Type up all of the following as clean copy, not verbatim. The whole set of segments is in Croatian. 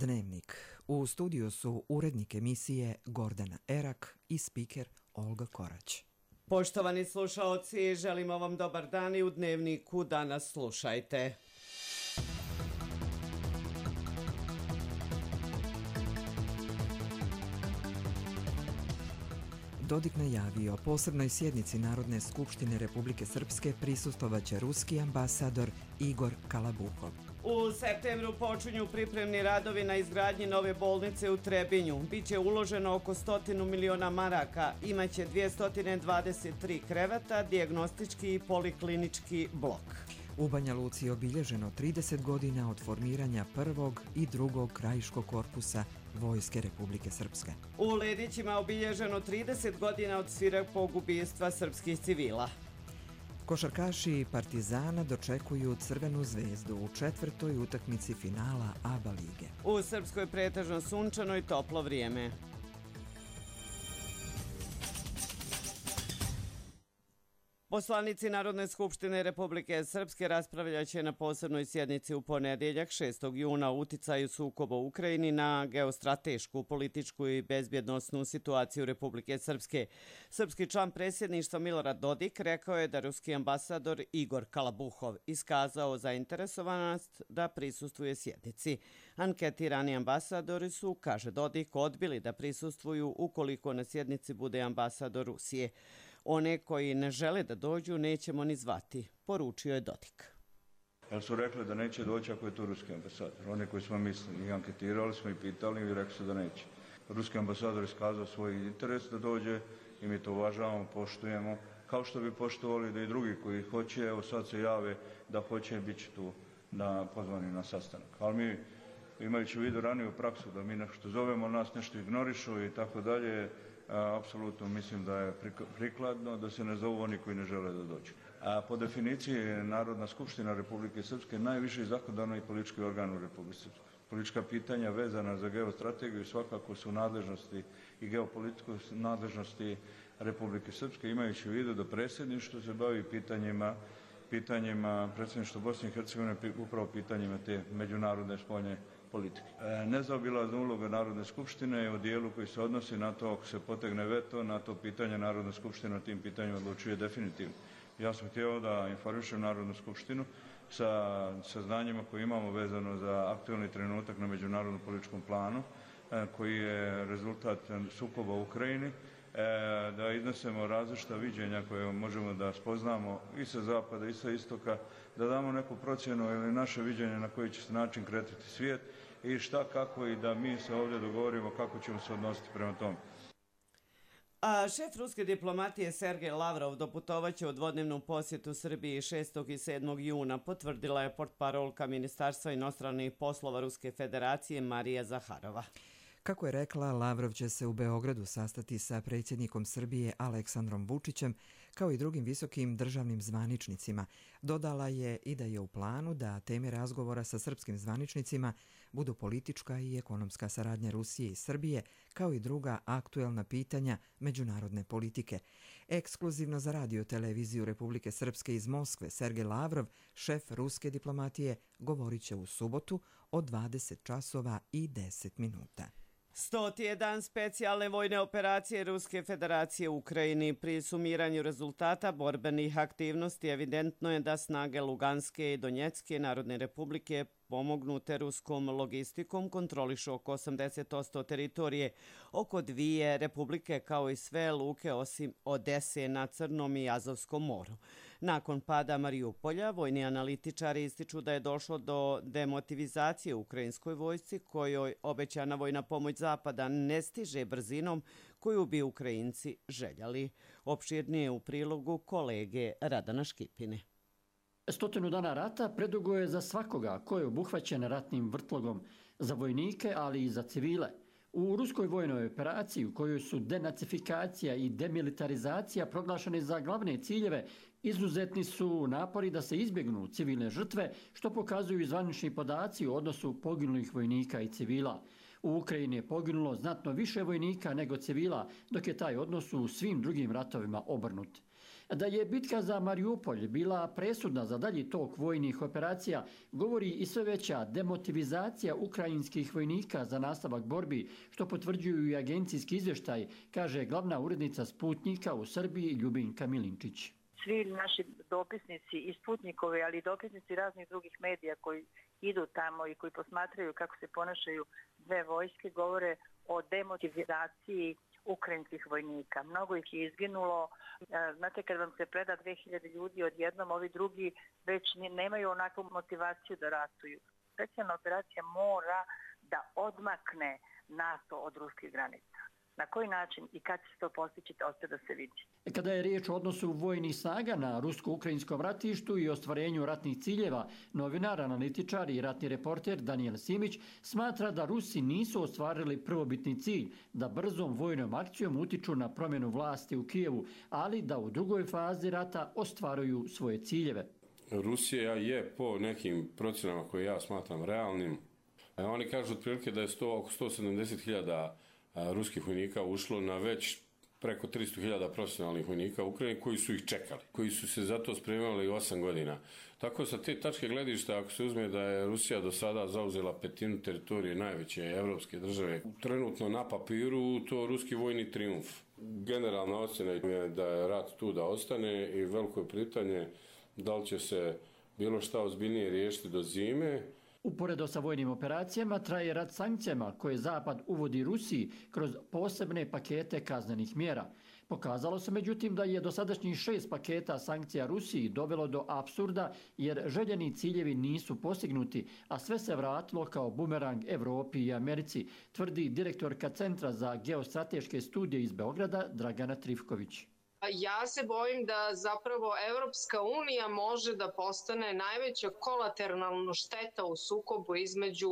Dnevnik. U studiju su urednik emisije Gordana Erak i spiker Olga Korać. Poštovani slušaoci, želimo vam dobar dan i u Dnevniku danas slušajte. Dodik najavio posebnoj sjednici Narodne skupštine Republike Srpske prisustvovaće ruski ambasador Igor Kalabuhov. U septembru počinju pripremni radovi na izgradnji nove bolnice u Trebinju. Biće uloženo oko 100 miliona maraka, imaće 223 kreveta, dijagnostički i poliklinički blok. U Banja Luci je obilježeno 30 godina od formiranja prvog i drugog krajiškog korpusa Vojske Republike Srpske. U Ledićima je obilježeno 30 godina od svirepog ubistva srpskih civila. Košarkaši Partizana dočekuju Crvenu zvezdu u četvrtoj utakmici finala ABA lige. U Srpskoj pretežno sunčano i toplo vrijeme. Poslanici Narodne skupštine Republike Srpske raspravljaće na posebnoj sjednici u ponedjeljak 6. juna o uticaju sukoba u Ukrajini na geostratešku, političku i bezbjednosnu situaciju Republike Srpske. Srpski član predsjedništva Milorad Dodik rekao je da ruski ambasador Igor Kalabuhov iskazao zainteresovanost da prisustvuje sjednici. Anketirani ambasadori su, kaže Dodik, odbili da prisustvuju ukoliko na sjednici bude ambasador Rusije. One koji ne žele da dođu nećemo ni zvati, poručio je Dodik. Jer su rekli da neće doći ako je to ruski ambasador. One koji smo mislili i anketirali smo i pitali i rekli su da neće. Ruski ambasador iskazao svoj interes da dođe i mi to uvažavamo, poštujemo. Kao što bi poštovali da i drugi koji hoće, evo sad se jave da hoće, bit će tu pozvani na sastanak. Ali mi, imajući u vidu raniju praksu da mi nešto zovemo, nas nešto ignorišu i tako dalje, apsolutno mislim da je prikladno da se ne zovu oni koji ne žele da dođu. Po definiciji Narodna skupština Republike Srpske najviši zakonodavni i politički organ u Republike Srpske. Politička pitanja vezana za geostrategiju svakako su nadležnosti i geopolitičke nadležnosti Republike Srpske, imajući u vidu da predsjedništvo se bavi pitanjima predsjedništva Bosne i Hercegovine, upravo pitanjima te međunarodne spoljne politike. Nezaobilazna uloga Narodne skupštine je u dijelu koji se odnosi na to ako se potegne veto, na to pitanje Narodna skupština o tim pitanjima odlučuje definitivno. Ja sam htio da informišem Narodnu skupštinu sa saznanjima koje imamo vezano za aktualni trenutak na međunarodnom političkom planu, koji je rezultat sukoba u Ukrajini, da iznesemo različita viđenja koje možemo da spoznamo i sa zapada i sa istoka, da damo neku procjenu ili naše viđenje na koji će se način kretati svijet i šta, kako i da mi se ovdje dogovorimo kako ćemo se odnositi prema tome. A šef ruske diplomatije Sergej Lavrov doputovaće u dvodnevnu posjetu Srbiji 6. i 7. juna, potvrdila je portparolka Ministarstva inostranih poslova Ruske federacije Marija Zaharova. Kako je rekla, Lavrov će se u Beogradu sastati sa predsjednikom Srbije Aleksandrom Vučićem, kao i drugim visokim državnim zvaničnicima. Dodala je i da je u planu da teme razgovora sa srpskim zvaničnicima budu politička i ekonomska saradnja Rusije i Srbije, kao i druga aktuelna pitanja međunarodne politike. Ekskluzivno za radio televiziju Republike Srpske iz Moskve, Sergej Lavrov, šef ruske diplomatije, govorit će u subotu od 20 časova i 10 minuta. 100. je dan specijalne vojne operacije Ruske federacije u Ukrajini. Pri sumiranju rezultata borbenih aktivnosti evidentno je da snage Luganske i Donjecke Narodne republike pomognute ruskom logistikom kontrolišu oko 80% teritorije, oko dvije republike kao i sve luke osim Odese na Crnom i Azovskom moru. Nakon pada Mariupolja, vojni analitičari ističu da je došlo do demotivizacije ukrajinskoj vojsci kojoj obećana vojna pomoć Zapada ne stiže brzinom koju bi Ukrajinci željeli. Opširnije u prilogu kolege Radana Škipine. 100 dana rata predugo je za svakoga ko je obuhvaćen ratnim vrtlogom, za vojnike, ali i za civile. U ruskoj vojnoj operaciji u kojoj su denacifikacija i demilitarizacija proglašene za glavne ciljeve, izuzetni su napori da se izbjegnu civilne žrtve, što pokazuju i zvanični podaci u odnosu poginulih vojnika i civila. U Ukrajini je poginulo znatno više vojnika nego civila, dok je taj odnos u svim drugim ratovima obrnut. Da je bitka za Mariupolj bila presudna za dalji tok vojnih operacija, govori i sve veća demotivizacija ukrajinskih vojnika za nastavak borbi, što potvrđuju i agencijski izvještaj, kaže glavna urednica Sputnika u Srbiji Ljubinka Milinčić. Svi naši dopisnici i Sputnikovi, ali i dopisnici raznih drugih medija koji idu tamo i koji posmatraju kako se ponašaju dve vojske, govore o demotivizaciji ukrajinskih vojnika. Mnogo ih je izginulo. Znate, kad vam se preda 2000 ljudi odjednom, ovi drugi već nemaju onakvu motivaciju da ratuju. Specijalna operacija mora da odmakne NATO od ruskih granica. Na koji način i kad će se to postići, ostaje da se vidi. Kada je riječ o odnosu vojnih snaga na rusko-ukrajinskom ratištu i ostvarenju ratnih ciljeva, novinar, analitičar i ratni reporter Daniel Simić smatra da Rusi nisu ostvarili prvobitni cilj, da brzom vojnom akcijom utiču na promjenu vlasti u Kijevu, ali da u drugoj fazi rata ostvaruju svoje ciljeve. Rusija je po nekim procjenama koje ja smatram realnim. Oni kažu otprilike da je oko 170.000 ruskih vojnika ušlo na već preko 300.000 profesionalnih vojnika u Ukrajini koji su ih čekali, koji su se za to spremali 8 godina. Tako sa te tačke gledišta, ako se uzme da je Rusija do sada zauzela petinu teritorije najveće evropske države, trenutno na papiru to ruski vojni trijumf. Generalna ocjena je da je rat tu da ostane i veliko je pitanje da li će se bilo šta ozbiljnije riješiti do zime. Uporedo sa vojnim operacijama traje rat sankcijama koje Zapad uvodi Rusiji kroz posebne pakete kaznenih mjera. Pokazalo se međutim da je dosadašnjih 6 paketa sankcija Rusiji dovelo do apsurda jer željeni ciljevi nisu postignuti, a sve se vratilo kao bumerang Evropi i Americi, tvrdi direktorka Centra za geostrateške studije iz Beograda Dragana Trifković. Ja se bojim da zapravo Evropska unija može da postane najveća kolateralna šteta u sukobu između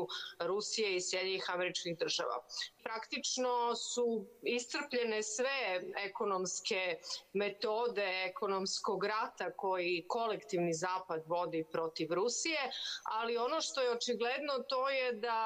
Rusije i Sjedinjenih Američkih Država. Praktično su iscrpljene sve ekonomske metode ekonomskog rata koji kolektivni Zapad vodi protiv Rusije, ali ono što je očigledno to je da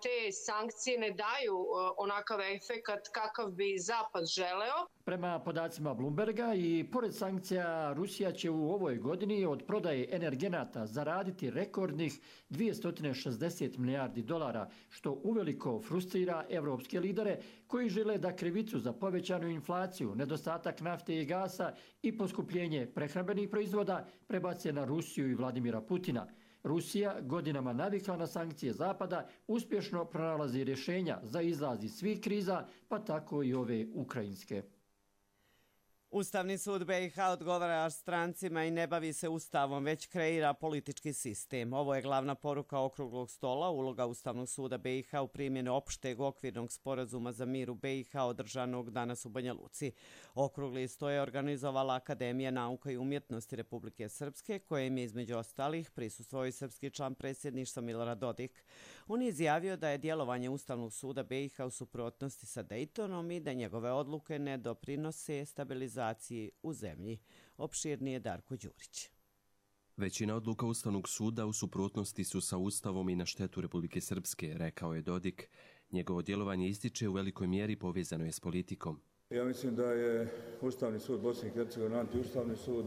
te sankcije ne daju onakav efekat kakav bi Zapad želeo. Prema podacima Bloomberga i pored sankcija Rusija će u ovoj godini od prodaje energenata zaraditi rekordnih 260 milijardi dolara, što uveliko frustrira evropske lidere koji žele da krivicu za povećanu inflaciju, nedostatak nafte i gasa i poskupljenje prehrambenih proizvoda prebace na Rusiju i Vladimira Putina. Rusija, godinama navikla na sankcije Zapada, uspješno pronalazi rješenja za izlaz iz svih kriza, pa tako i ove ukrajinske. Ustavni sud BiH odgovara strancima i ne bavi se ustavom, već kreira politički sistem. Ovo je glavna poruka okruglog stola, uloga Ustavnog suda BiH u primjeni opšteg okvirnog sporazuma za mir u BiH održanog danas u Banja Luci. Okrugli sto je organizovala Akademija nauka i umjetnosti Republike Srpske, kojem je između ostalih prisustvovao i srpski član predsjedništva Milorad Dodik. On je izjavio da je djelovanje Ustavnog suda BiH u suprotnosti sa Dejtonom i da njegove odluke ne doprinose stabilizaciji u zemlji. Opširnije Darko Đurić. Većina odluka Ustavnog suda u suprotnosti su sa Ustavom i na štetu Republike Srpske, rekao je Dodik. Njegovo djelovanje ističe u velikoj mjeri povezano je s politikom. Ja mislim da je Ustavni sud Bosne i Hercegovine antiustavni sud,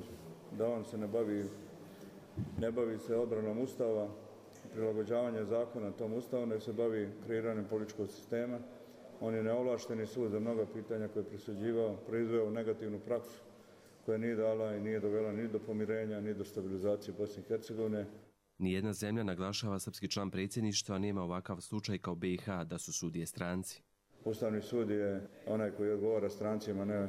da on se ne bavi se odbranom Ustava, prilagođavanje zakona tom Ustavu, nego se bavi kreiranjem političkog sistema. On je neovlašteni sud za mnoga pitanja koje je presuđivao, proizveo negativnu praksu koja nije dala i nije dovela ni do pomirenja, ni do stabilizacije Bosne i Hercegovine. Nijedna zemlja, naglašava srpski član predsjedništva, nema ovakav slučaj kao BiH da su sudije stranci. Ustavni sud je onaj koji odgovara strancima, ne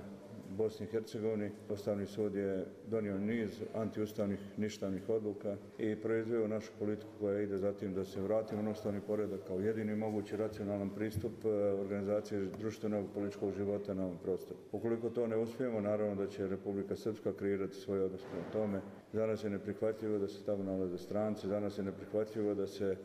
Bosni i Hercegovini. Ustavni sud je donio niz antiustavnih ništavnih odluka i proizveo našu politiku koja ide za tim da se vratimo na ustavni poredak kao jedini mogući racionalan pristup organizacije društvenog političkog života na ovom prostoru. Ukoliko to ne uspijemo, naravno da će Republika Srpska kreirati svoj odnos prema tome. Za nas je neprihvatljivo da se tamo nalaze stranci, za nas je neprihvatljivo da se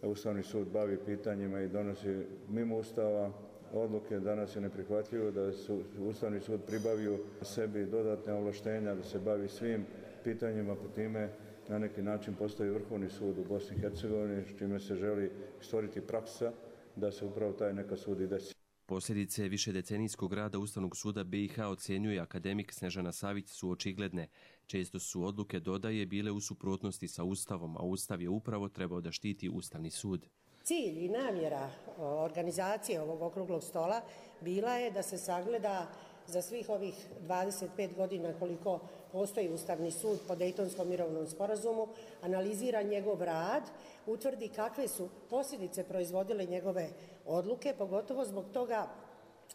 Ustavni sud bavi pitanjima i donosi mimo Ustava odluke. Danas je neprihvatljivo da su Ustavni sud pribavio sebi dodatne ovlaštenja da se bavi svim pitanjima, po time na neki način postavi Vrhovni sud u Bosni i Hercegovini, s čime se želi stvoriti praksa da se upravo taj neka sud i desi. Posljedice višedecenijskog rada Ustavnog suda BiH ocjenjuje akademik Snežana Savić su očigledne. Često su odluke, dodaje, bile u suprotnosti sa Ustavom, a Ustav je upravo trebao da štiti Ustavni sud. Cilj i namjera organizacije ovog okruglog stola bila je da se sagleda za svih ovih 25 godina koliko postoji Ustavni sud po Dejtonskom mirovnom sporazumu, analizira njegov rad, utvrdi kakve su posljedice proizvodile njegove odluke, pogotovo zbog toga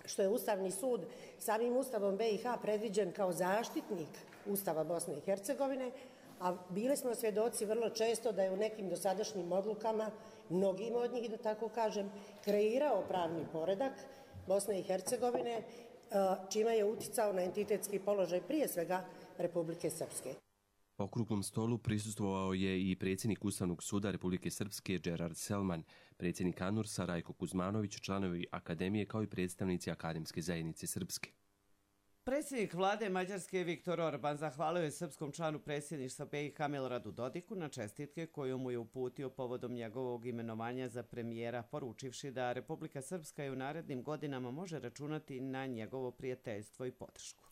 što je Ustavni sud samim Ustavom BiH predviđen kao zaštitnik Ustava Bosne i Hercegovine, a bili smo svjedoci vrlo često da je u nekim dosadašnjim odlukama, mnogim od njih, da tako kažem, kreirao pravni poredak Bosne i Hercegovine, čime je uticao na entitetski položaj prije svega Republike Srpske. Okruglom stolu prisustvovao je i predsjednik Ustavnog suda Republike Srpske Gerard Selman, predsjednik ANURS-a Rajko Kuzmanović, članovi akademije kao i predstavnici akademske zajednice Srpske. Predsjednik vlade Mađarske Viktor Orban zahvalio je srpskom članu predsjedništva BiH Miloradu Dodiku na čestitke koju mu je uputio povodom njegovog imenovanja za premijera, poručivši da Republika Srpska i u narednim godinama može računati na njegovo prijateljstvo i podršku.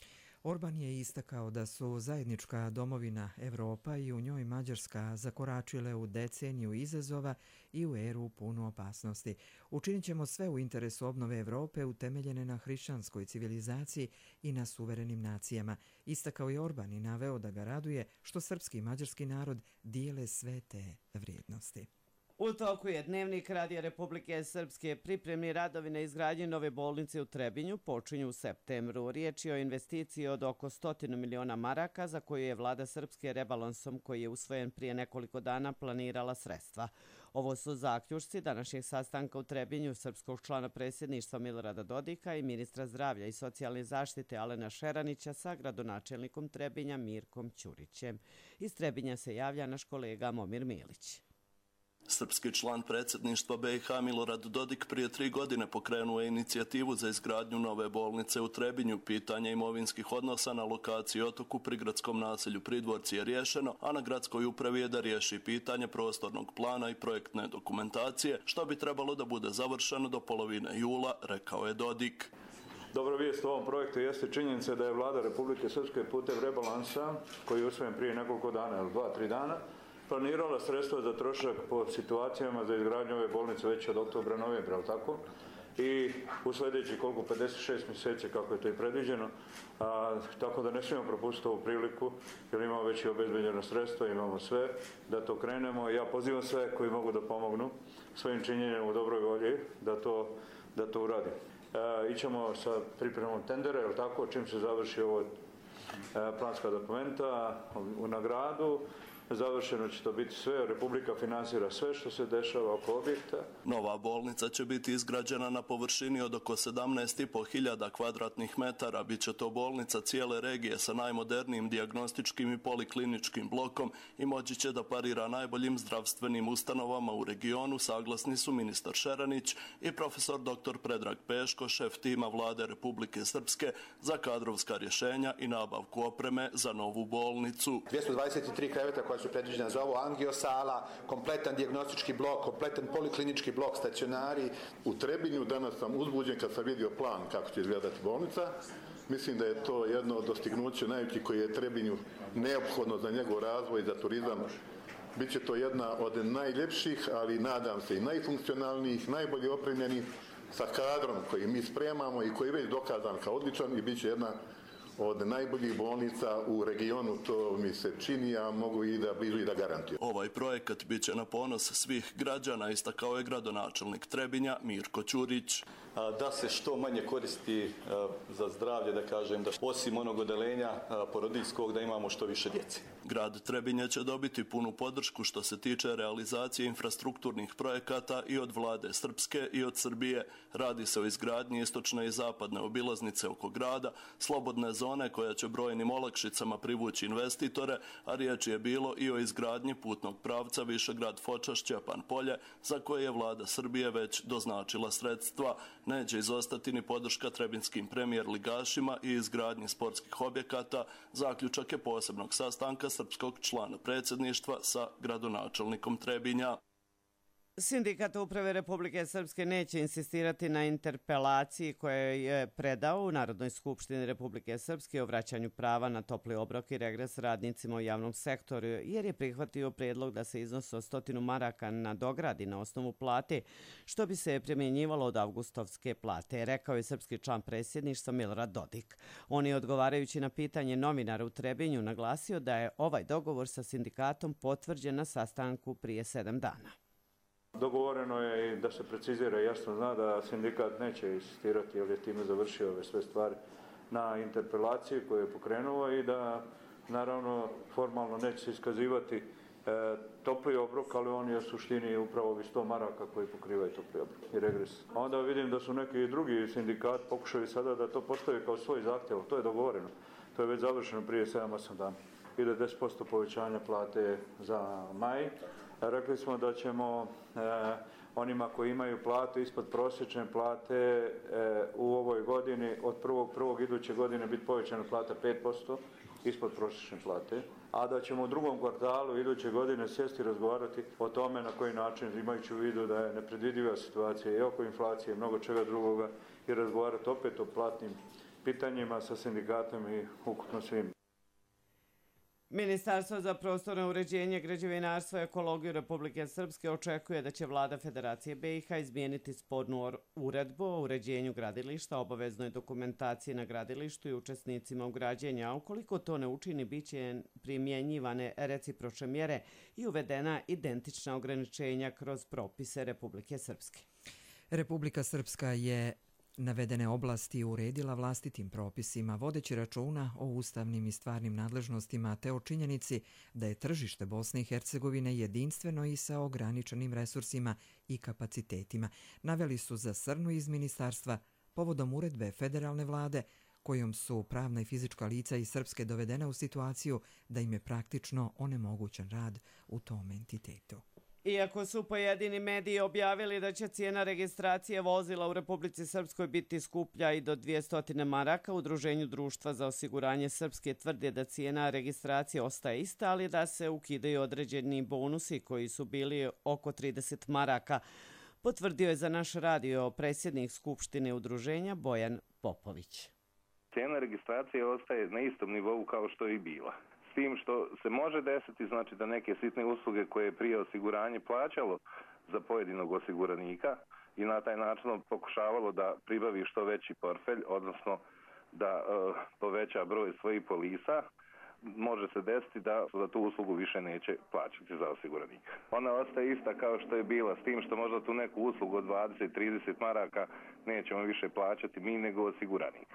Orban je istakao da su zajednička domovina Evropa i u njoj Mađarska zakoračile u deceniju izazova i u eru punu opasnosti. Učinit ćemo sve u interesu obnove Evrope utemeljene na hrišćanskoj civilizaciji i na suverenim nacijama. Istakao je Orban i naveo da ga raduje što srpski i mađarski narod dijele sve te vrijednosti. U toku je Dnevnik Radija Republike Srpske. Pripremni radovi na izgradnji nove bolnice u Trebinju počinju u septembru. Riječ je o investiciji od oko 100 miliona maraka za koju je vlada Srpske rebalansom koji je usvojen prije nekoliko dana planirala sredstva. Ovo su zaključci današnjeg sastanka u Trebinju srpskog člana predsjedništva Milorada Dodika i ministra zdravlja i socijalne zaštite Alena Šeranića sa gradonačelnikom Trebinja Mirkom Ćurićem. Iz Trebinja se javlja naš kolega Momir Milić. Srpski član predsjedništva BiH Milorad Dodik prije 3 godine pokrenuo je inicijativu za izgradnju nove bolnice u Trebinju. Pitanje imovinskih odnosa na lokaciji Otoku pri gradskom naselju Pridvorci je riješeno, a na gradskoj upravi je da riješi pitanje prostornog plana i projektne dokumentacije, što bi trebalo da bude završeno do polovine jula, rekao je Dodik. Dobra vijest u ovom projektu jeste činjenica da je vlada Republike Srpske putem rebalansa, koji je usvojen prije nekoliko dana ili 2-3 dana, planirala sredstva za trošak po situacijama za izgradnju ove bolnice već od oktobra, novembra, ali tako? I u sljedeći 56 mjeseci kako je to i predviđeno, tako da ne smijemo propustiti ovu priliku jer imamo već i obezbeđeno sredstva, imamo sve da to krenemo. Ja pozivam sve koji mogu da pomognu svojim činjenjem u dobroj volji da to uradi. Ićemo sa pripremom tendera, je li tako, čim se završi ovo planska dokumenta na gradu. Završeno će to biti sve, Republika finansira sve što se dešava oko objekta. Nova bolnica će biti izgrađena na površini od oko 17.500 kvadratnih metara. Biće to bolnica cijele regije sa najmodernijim dijagnostičkim i polikliničkim blokom i moći će da parira najboljim zdravstvenim ustanovama u regionu, saglasni su ministar Šeranić i profesor dr. Predrag Peško, šef tima vlade Republike Srpske za kadrovska rješenja i nabavku opreme za novu bolnicu. 223 kreveta koja su predviđena za ovo, angiosala, kompletan dijagnostički blok, kompletan poliklinički blok, stacionari. U Trebinju danas sam uzbuđen kad sam vidio plan kako će izgledati bolnica. Mislim da je to jedno od dostignuća najvećih koji je Trebinju neophodno za njegov razvoj i za turizam. Biće to jedna od najljepših, ali nadam se i najfunkcionalnijih, najbolje opremljenih sa kadrom koji mi spremamo i koji je već dokazan kao odličan i bit će jedna od najboljih bolnica u regionu, to mi se čini, a mogu i da blizu i da garantujem. Ovaj projekat bit će na ponos svih građana, istakao je gradonačelnik Trebinja Mirko Ćurić. Da se što manje koristi za zdravlje, da kažem, da osim onog odelenja porodiljskog da imamo što više djece. Grad Trebinje će dobiti punu podršku što se tiče realizacije infrastrukturnih projekata i od vlade Srpske i od Srbije. Radi se o izgradnji istočne i zapadne obilaznice oko grada, slobodne zone koja će brojnim olakšicama privući investitore, a riječ je bilo i o izgradnji putnog pravca Višegrad-Foča-Šćepan Polje, za koje je vlada Srbije već doznačila sredstva. Neće izostati ni podrška trebinskim premijer ligašima i izgradnji sportskih objekata, zaključak je posebnog sastanka srpskog člana predsjedništva sa gradonačelnikom Trebinja. Sindikat Uprave Republike Srpske neće insistirati na interpelaciji koje je predao u Narodnoj skupštini Republike Srpske o vraćanju prava na topli obrok i regres radnicima u javnom sektoru, jer je prihvatio predlog da se iznos od 100 maraka nadogradi na osnovu plate, što bi se primjenjivalo od avgustovske plate, rekao je srpski član predsjedništva Milorad Dodik. On je, odgovarajući na pitanje novinara u Trebinju, naglasio da je ovaj dogovor sa sindikatom potvrđen na sastanku prije 7 dana. Dogovoreno je i da se precizira i jasno zna da sindikat neće insistirati, jer je time završio ove sve stvari, na interpelaciji koju je pokrenuo i da naravno formalno neće se iskazivati topli obrok, ali on je u suštini upravo ovih 100 maraka koji pokrivaju topli obrok i regres. Onda vidim da su neki drugi sindikat pokušali sada da to postave kao svoj zahtjev, to je dogovoreno. To je već završeno prije 7-8 dana. Ide 10% povećanja plate za maj. Rekli smo da ćemo onima koji imaju platu ispod prosječne plate u ovoj godini od 1.1. iduće godine biti povećana plata 5% ispod prosječne plate, a da ćemo u drugom kvartalu iduće godine sjesti i razgovarati o tome na koji način, imajući u vidu da je nepredvidiva situacija i oko inflacije i mnogo čega drugoga, i razgovarati opet o platnim pitanjima sa sindikatom i ukupno svim. Ministarstvo za prostorno uređenje, građevinarstvo i ekologiju Republike Srpske očekuje da će vlada Federacije BiH izmijeniti spornu uredbu o uređenju gradilišta, obaveznoj dokumentaciji na gradilištu i učesnicima u građenju, a ukoliko to ne učini, bit će primjenjivane recipročne mjere i uvedena identična ograničenja kroz propise Republike Srpske. Republika Srpska je navedene oblasti uredila vlastitim propisima, vodeći računa o ustavnim i stvarnim nadležnostima te o činjenici da je tržište Bosne i Hercegovine jedinstveno i sa ograničenim resursima i kapacitetima, naveli su za Srnu iz ministarstva povodom uredbe federalne vlade kojom su pravna i fizička lica iz Srpske dovedena u situaciju da im je praktično onemogućen rad u tom entitetu. Iako su pojedini mediji objavili da će cijena registracije vozila u Republici Srpskoj biti skuplja i do 200 maraka, Udruženju društva za osiguranje Srpske tvrde da cijena registracije ostaje ista, ali da se ukidaju određeni bonusi koji su bili oko 30 maraka, potvrdio je za naš radio predsjednik Skupštine udruženja Bojan Popović. Cijena registracije ostaje na istom nivou kao što je i bila. S tim što se može desiti, znači da neke sitne usluge koje je prije osiguranje plaćalo za pojedinog osiguranika i na taj način pokušavalo da pribavi što veći portfelj, odnosno da poveća broj svojih polisa, može se desiti da za tu uslugu više neće plaćati za osiguranika. Ona ostaje ista kao što je bila, s tim što možda tu neku uslugu od 20-30 maraka nećemo više plaćati mi nego osiguranik.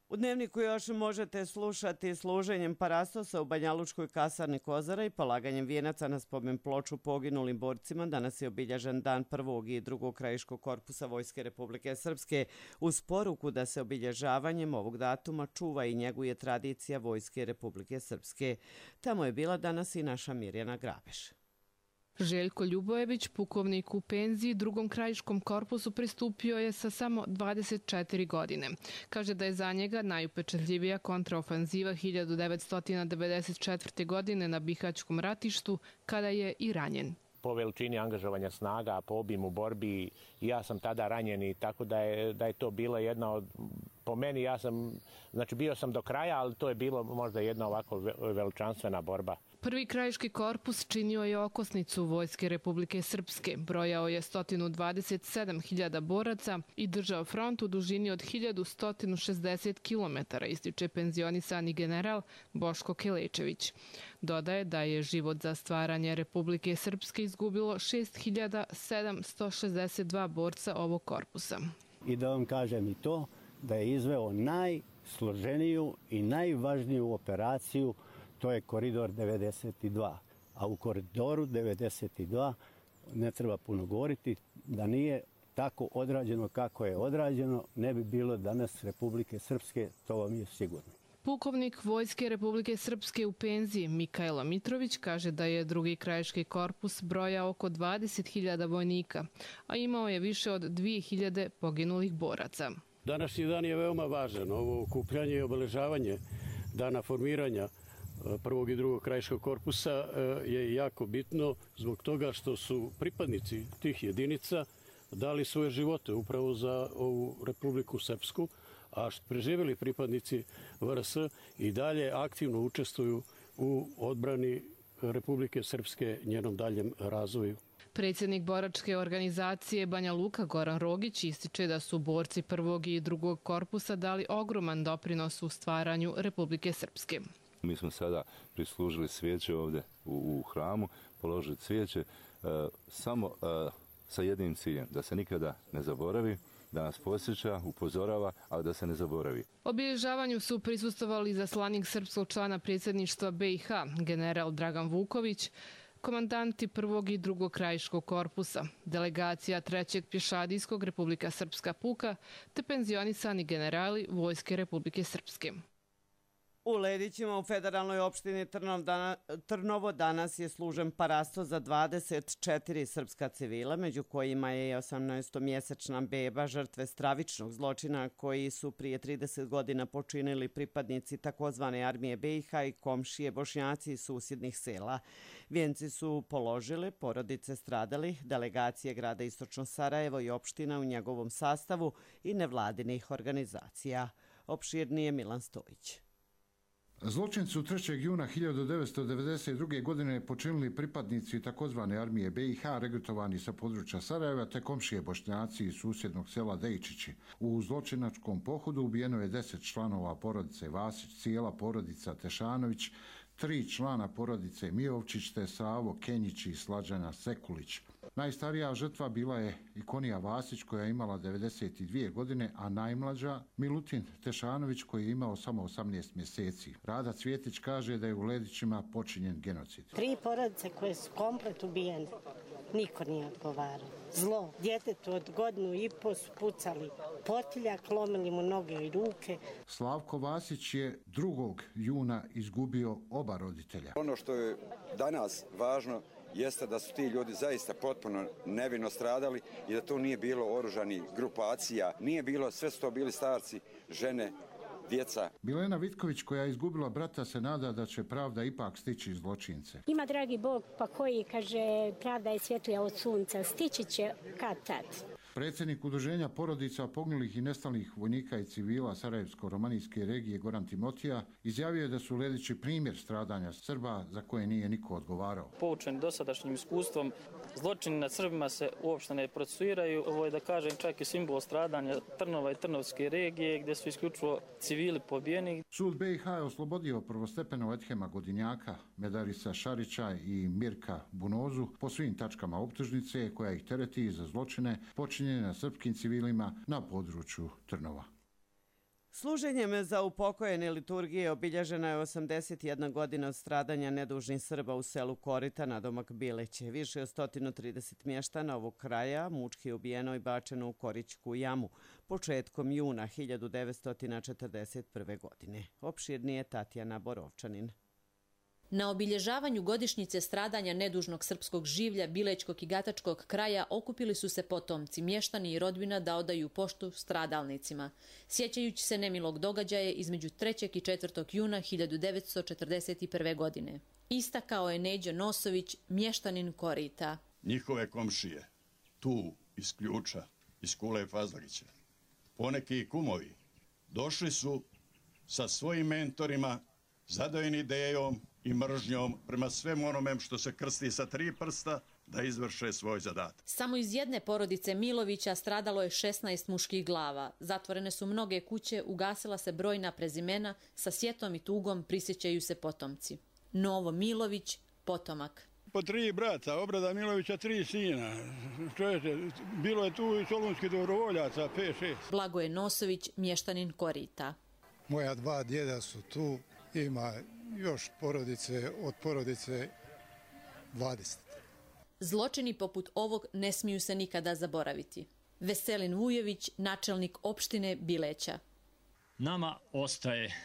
U Dnevniku još možete slušati služenjem parastosa u Banjalučkoj kasarni Kozara i polaganjem vijenaca na spomen ploču poginulim borcima. Danas je obilježen dan 1. i 2. krajiškog korpusa Vojske Republike Srpske, uz poruku da se obilježavanjem ovog datuma čuva i njeguje tradicija Vojske Republike Srpske. Tamo je bila danas i naša Mirjana Grabeš. Željko Ljubojević, pukovnik u penziji, 2. krajiškom korpusu pristupio je sa samo 24 godine. Kaže da je za njega najupečatljivija kontraofanziva 1994. godine na Bihaćkom ratištu, kada je i ranjen. Po veličini angažovanja snaga, po obimu borbi, ja sam tada ranjen i tako da je to bila jedna od, po meni bio sam do kraja, ali to je bilo možda jedna ovako veličanstvena borba. Prvi krajiški korpus činio je okosnicu Vojske Republike Srpske. Brojao je 127.000 boraca i držao front u dužini od 1160 km, ističe penzionisani general Boško Kelečević. Dodaje da je život za stvaranje Republike Srpske izgubilo 6.762 borca ovog korpusa. I da vam kažem i to, da je izveo najsloženiju i najvažniju operaciju, to je koridor 92. A u koridoru 92 ne treba puno govoriti, da nije tako odrađeno kako je odrađeno, ne bi bilo danas Republike Srpske, to vam je sigurno. Pukovnik Vojske Republike Srpske u penziji Mikailo Mitrović kaže da je 2. krajiški korpus brojao oko 20.000 vojnika, a imao je više od 2.000 poginulih boraca. Današnji dan je veoma važan. Ovo okupljanje i obeležavanje dana formiranja prvog i drugog krajiškog korpusa je jako bitno zbog toga što su pripadnici tih jedinica dali svoje živote upravo za ovu Republiku Srpsku, a preživjeli pripadnici VRS i dalje aktivno učestvuju u odbrani Republike Srpske, njenom daljem razvoju. Predsjednik boračke organizacije Banja Luka Goran Rogić ističe da su borci prvog i drugog korpusa dali ogroman doprinos u stvaranju Republike Srpske. Mi smo sada prislužili svijeće ovdje u hramu, položili cvijeće samo sa jednim ciljem, da se nikada ne zaboravi, da nas posjeća, upozorava, ali da se ne zaboravi. Obilježavanju su prisustvovali zaslanik srpskog člana predsjedništva BiH, general Dragan Vuković, komandanti prvog i drugog krajiškog korpusa, delegacija trećeg pješadijskog Republika Srpska puka te penzionisani generali Vojske Republike Srpske. U Ledićima u federalnoj opštini Trnovo danas je služen parasto za 24 srpska civila, među kojima je 18-mjesečna beba žrtve stravičnog zločina koji su prije 30 godina počinili pripadnici takozvane armije BiH i komšije Bošnjaci iz susjednih sela. Vijenci su položile porodice stradalih, delegacije grada Istočno Sarajevo i opština u njegovom sastavu i nevladinih organizacija. Opširnije Milan Stojić. Zločin su 3. juna 1992. godine počinili pripadnici takozvane armije BiH regrutovani sa područja Sarajeva te komšije Bošnjaci iz susjednog sela Dejčići. U zločinačkom pohodu ubijeno je 10 članova porodice Vasić, cijela porodica Tešanović, 3 člana porodice Mijovčić te Savo Kenjić i Slađana Sekulić. Najstarija žrtva bila je Ikonija Vasić koja je imala 92 godine, a najmlađa Milutin Tešanović koji je imao samo 18 mjeseci. Rada Cvjetić kaže da je u Ledićima počinjen genocid. 3 porodice koje su komplet ubijene, niko nije odgovarao. Zlo, djetetu od 1,5 godinu su pucali potiljak, lomili mu noge i ruke. Slavko Vasić je 2. juna izgubio oba roditelja. Ono što je danas važno jeste da su ti ljudi zaista potpuno nevino stradali i da to nije bilo oružanih grupacija, nije bilo, sve su to bili starci, žene, djeca. Milena Vitković koja je izgubila brata se nada da će pravda ipak stići zločince. Ima dragi Bog pa koji kaže pravda je svjetlija od sunca, stići će kad tad. Predsjednik Udruženja porodica poginulih i nestalih vojnika i civila Sarajevsko-romanijske regije Goran Timotija izjavio je da su Ledići primjer stradanja Srba za koje nije niko odgovarao. Poučeni dosadašnjim iskustvom, zločini nad Srbima se uopšte ne procesuiraju. Ovo je, da kažem, čak i simbol stradanja Trnova i Trnovske regije gdje su isključivo civili pobijeni. Sud BiH je oslobodio prvostepeno Edhema Godinjaka, Medarisa Šarića i Mirka Bunozu po svim tačkama optužnice koja ih tereti za zločine počinjene na srpskim civilima na području Trnova. Služenjem za upokojene liturgije obilježena je 81 godina od stradanja nedužnih Srba u selu Korita nadomak Bileće. Više od 130 mještana ovog kraja mučki ubijeno i bačeno u Korićku jamu početkom juna 1941. godine. Opširnije Tatjana Borovčanin. Na obilježavanju godišnjice stradanja nedužnog srpskog življa Bilećkog i Gatačkog kraja okupili su se potomci, mještani i rodbina da odaju poštu stradalnicima, sjećajući se nemilog događaja između 3. i 4. juna 1941. godine. Istakao je Neđo Nosović, mještanin Korita. Njihove komšije, tu iz Ključa, iz Kule Fazlića, poneki i kumovi, došli su sa svojim mentorima, zadojeni idejom i mržnjom prema svemu onome što se krsti sa 3 prsta da izvrše svoj zadatak. Samo iz jedne porodice Milovića stradalo je 16 muških glava. Zatvorene su mnoge kuće, ugasila se brojna prezimena, sa sjetom i tugom prisjećaju se potomci. Novo Milović, potomak. Po 3 brata, Obrada Milovića 3 sina. Čujete, bilo je tu i solunskih dobrovoljaca, 5-6. Blagoje Nosović, mještanin Korita. Moja 2 djeda su tu, ima još porodice, od porodice 20. Zločini poput ovog ne smiju se nikada zaboraviti. Veselin Vujović, načelnik opštine Bileća. Nama ostaje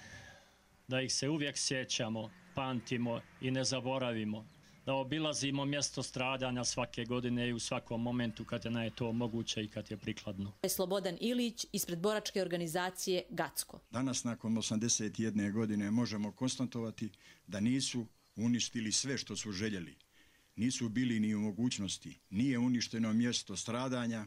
da ih se uvijek sjećamo, pamtimo i ne zaboravimo, da obilazimo mjesto stradanja svake godine i u svakom momentu kad je to moguće i kad je prikladno. Slobodan Ilić ispred boračke organizacije Gacko. Danas nakon 81 godine možemo konstatovati da nisu uništili sve što su željeli. Nisu bili ni u mogućnosti, nije uništeno mjesto stradanja,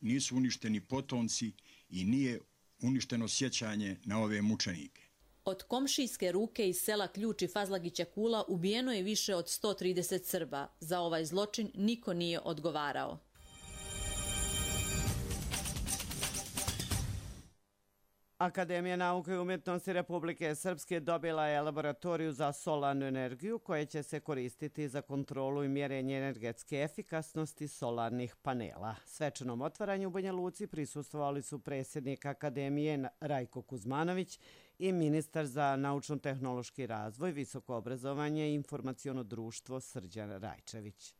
nisu uništeni potomci i nije uništeno sjećanje na ove mučenike. Od komšijske ruke iz sela Ključ i Fazlagića Kula ubijeno je više od 130 Srba. Za ovaj zločin niko nije odgovarao. Akademija nauke i umjetnosti Republike Srpske dobila je laboratoriju za solarnu energiju koja će se koristiti za kontrolu i mjerenje energetske efikasnosti solarnih panela. Svečanom otvaranju u Banja Luci prisustvovali su predsjednik Akademije Rajko Kuzmanović i ministar za naučno-tehnološki razvoj, visoko obrazovanje i informaciono društvo Srđan Rajčević.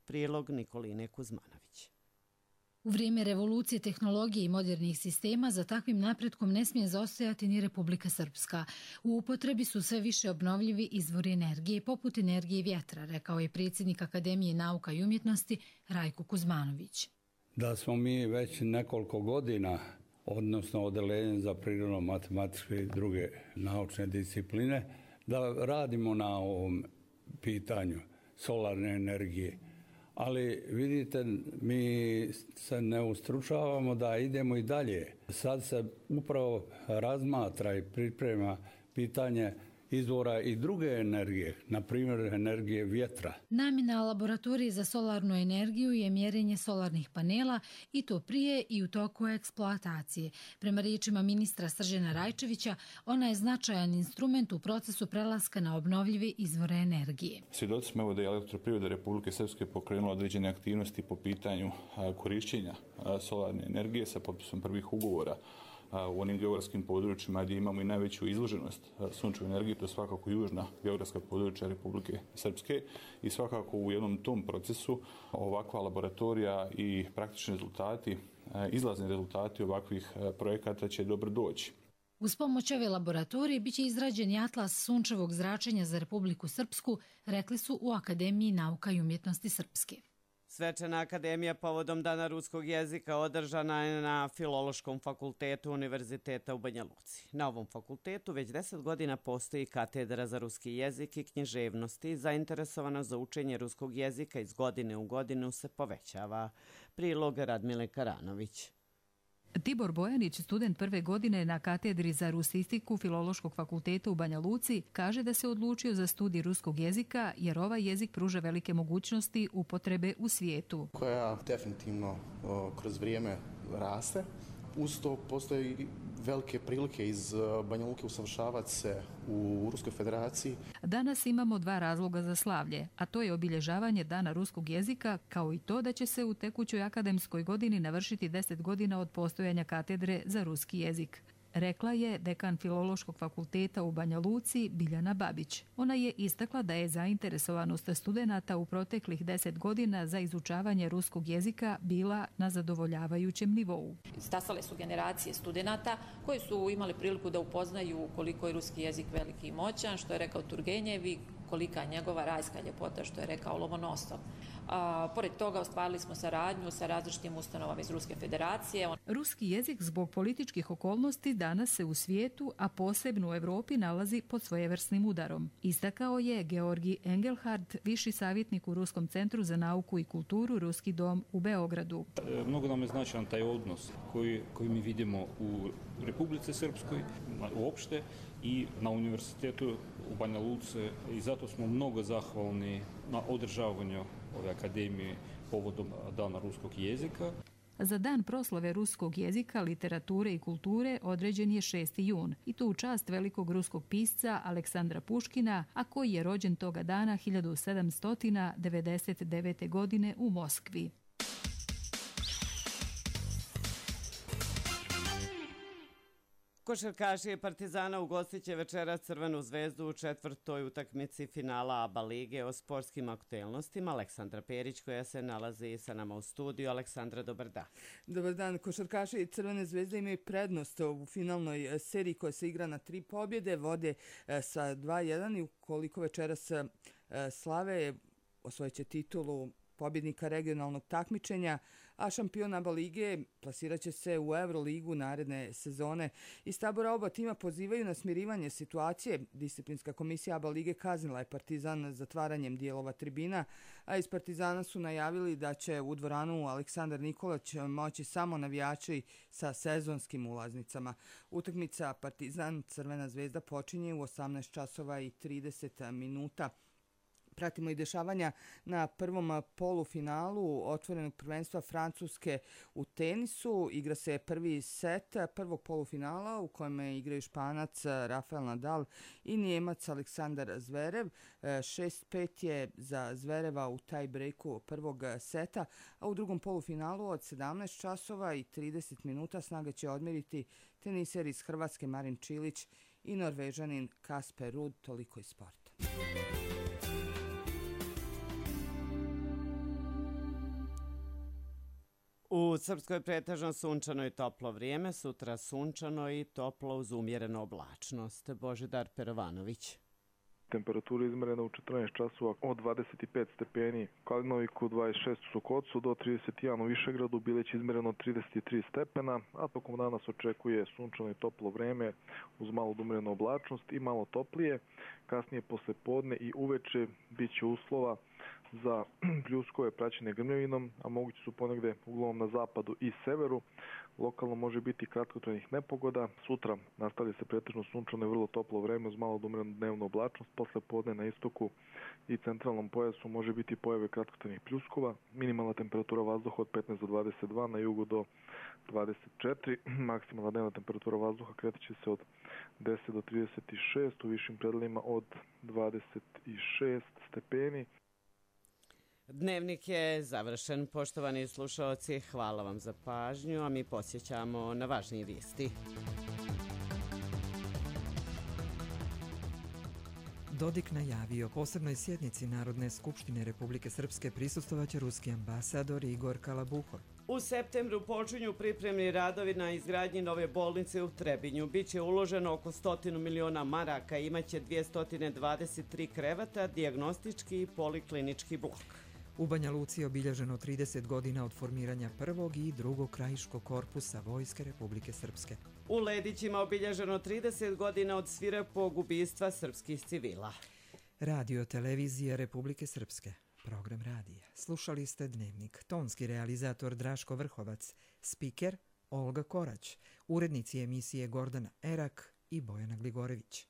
Prilog Nikoline Kuzmanović. U vrijeme revolucije tehnologije i modernih sistema za takvim napretkom ne smije zaostajati ni Republika Srpska. U upotrebi su sve više obnovljivi izvori energije, poput energije vjetra, rekao je predsjednik Akademije nauka i umjetnosti Rajko Kuzmanović. Da smo mi već nekoliko godina, odnosno odeljenje za prirodno-matematičke i druge naučne discipline, da radimo na ovom pitanju solarne energije. Ali vidite, mi se ne ustručavamo da idemo i dalje. Sad se upravo razmatra i priprema pitanje izvora i druge energije, na primjer energije vjetra. Namjena laboratorije za solarnu energiju je mjerenje solarnih panela i to prije i u toku eksploatacije. Prema riječima ministra Srđana Rajčevića, ona je značajan instrument u procesu prelaska na obnovljive izvore energije. Svjedoci smo evo da je Elektroprivreda Republike Srpske pokrenula određene aktivnosti po pitanju korišćenja solarne energije sa potpisom prvih ugovora u onim geografskim područjima gdje imamo i najveću izloženost sunčevoj energiji, to je svakako južna geografska područja Republike Srpske i svakako u jednom tom procesu ovakva laboratorija i praktični rezultati, izlazni rezultati ovakvih projekata će dobro doći. Uz pomoć ove laboratorije biće izrađen i atlas sunčevog zračenja za Republiku Srpsku, rekli su u Akademiji nauka i umjetnosti Srpske. Svečana akademija povodom Dana ruskog jezika održana je na Filološkom fakultetu Univerziteta u Banja Luci. Na ovom fakultetu već 10 godina postoji katedra za ruski jezik i književnosti. Zainteresovanost za učenje ruskog jezika iz godine u godinu se povećava. Prilog Radmile Karanović. Tibor Bojanić, student prve godine na katedri za rusistiku Filološkog fakulteta u Banja Luci, kaže da se odlučio za studij ruskog jezika jer ovaj jezik pruža velike mogućnosti upotrebe u svijetu. Koja definitivno kroz vrijeme raste. Uz to postoji velike prilike iz Banja Luke usavršavati se u Ruskoj federaciji. Danas imamo dva razloga za slavlje, a to je obilježavanje Dana ruskog jezika, kao i to da će se u tekućoj akademskoj godini navršiti 10 godina od postojanja katedre za ruski jezik. Rekla je dekan Filološkog fakulteta u Banja Luci Biljana Babić. Ona je istakla da je zainteresovanost studenata u proteklih 10 godina za izučavanje ruskog jezika bila na zadovoljavajućem nivou. Stasale su generacije studenata koji su imali priliku da upoznaju koliko je ruski jezik veliki i moćan, što je rekao Turgenjev i kolika je njegova rajska ljepota, što je rekao Lomonosov. Pored toga ostvarili smo saradnju sa različitim ustanovama iz Ruske federacije. Ruski jezik zbog političkih okolnosti danas se u svijetu, a posebno u Europi, nalazi pod svojevrsnim udarom. Istakao je Georgi Engelhardt, viši savjetnik u Ruskom centru za nauku i kulturu Ruski dom u Beogradu. Mnogo nam je značajan taj odnos koji mi vidimo u Republici Srpskoj uopšte i na univerzitetu u Banja Luci i zato smo mnogo zahvalni na održavanju ove akademije povodom Dana ruskog jezika. Za dan proslave ruskog jezika, literature i kulture određen je 6. jun i to u čast velikog ruskog pisca Aleksandra Puškina, a koji je rođen toga dana 1799. godine u Moskvi. Košarkaši Partizana ugostit će večeras Crvenu zvezdu u četvrtoj utakmici finala ABA lige. O sportskim aktuelnostima Aleksandra Perić koja se nalazi sa nama u studiju. Aleksandra, dobar dan. Dobar dan. Košarkaši Crvene zvezde imaju prednost u finalnoj seriji koja se igra na 3 pobjede. Vode sa 2-1 i ukoliko večeras slave osvojit će titulu pobjednika regionalnog takmičenja, a šampion ABA lige plasirat će se u Euroligu naredne sezone. Iz tabora oba tima pozivaju na smirivanje situacije. Disciplinska komisija ABA lige kaznila je Partizan zatvaranjem dijelova tribina, a iz Partizana su najavili da će u dvoranu Aleksandar Nikolić moći samo navijači sa sezonskim ulaznicama. Utakmica Partizan Crvena zvezda počinje u 18 časova i 30 minuta. Pratimo i dešavanja na prvom polufinalu otvorenog prvenstva Francuske u tenisu. Igra se prvi set prvog polufinala u kojem igraju Španac Rafael Nadal i Njemac Aleksandar Zverev. 6-5 je za Zvereva u taj breaku prvog seta, a u drugom polufinalu od 17 časova i 30 minuta snaga će odmjeriti teniser iz Hrvatske Marin Čilić i Norvežanin Kasper Ruud. Toliko iz sporta. U Srpskoj pretežno sunčano i toplo vrijeme, sutra sunčano i toplo uz umjerenu oblačnost. Božidar Perovanović. Temperatura izmerena u 14 časova od 25 stepeni, Kalinoviku 26 u Sokocu do 31 u Višegradu, Bileć izmereno 33 stepena, a tokom dana se očekuje sunčano i toplo vreme uz malo umjerenu oblačnost i malo toplije. Kasnije posle podne i uveče bit će uslova za pljuskove praćene grmljavinom, a mogući su ponegde uglavnom na zapadu i severu. Lokalno može biti kratkotrajnih nepogoda. Sutra nastavlja se pretežno sunčano i vrlo toplo vreme uz malo umjerenu dnevnu oblačnost. Posle podne na istoku i centralnom pojasu može biti pojave kratkotrajnih pljuskova. Minimalna temperatura vazduha od 15 do 22, na jugu do 24. Maksimalna dnevna temperatura vazduha kreće se od 10 do 36, u višim predelima od 26 stepeni. Dnevnik je završen. Poštovani slušaoci, hvala vam za pažnju, a mi posjećamo na važnije vijesti. Dodik najavio posebnoj sjednici Narodne skupštine Republike Srpske prisustvovaće ruski ambasador Igor Kalabuhor. U septembru počinju pripremni radovi na izgradnji nove bolnice u Trebinju. Biće uloženo oko 100 miliona maraka, imaće 223 kreveta, dijagnostički i poliklinički blok. U Banja Luci je obilježeno 30 godina od formiranja prvog i drugog krajiškog korpusa Vojske Republike Srpske. U Ledićima obilježeno 30 godina od svirepog ubistva srpskih civila. Radio televizije Republike Srpske. Program radija. Slušali ste Dnevnik. Tonski realizator Draško Vrhovac. Spiker Olga Korać. Urednici emisije Gordana Erak i Bojana Gligorević.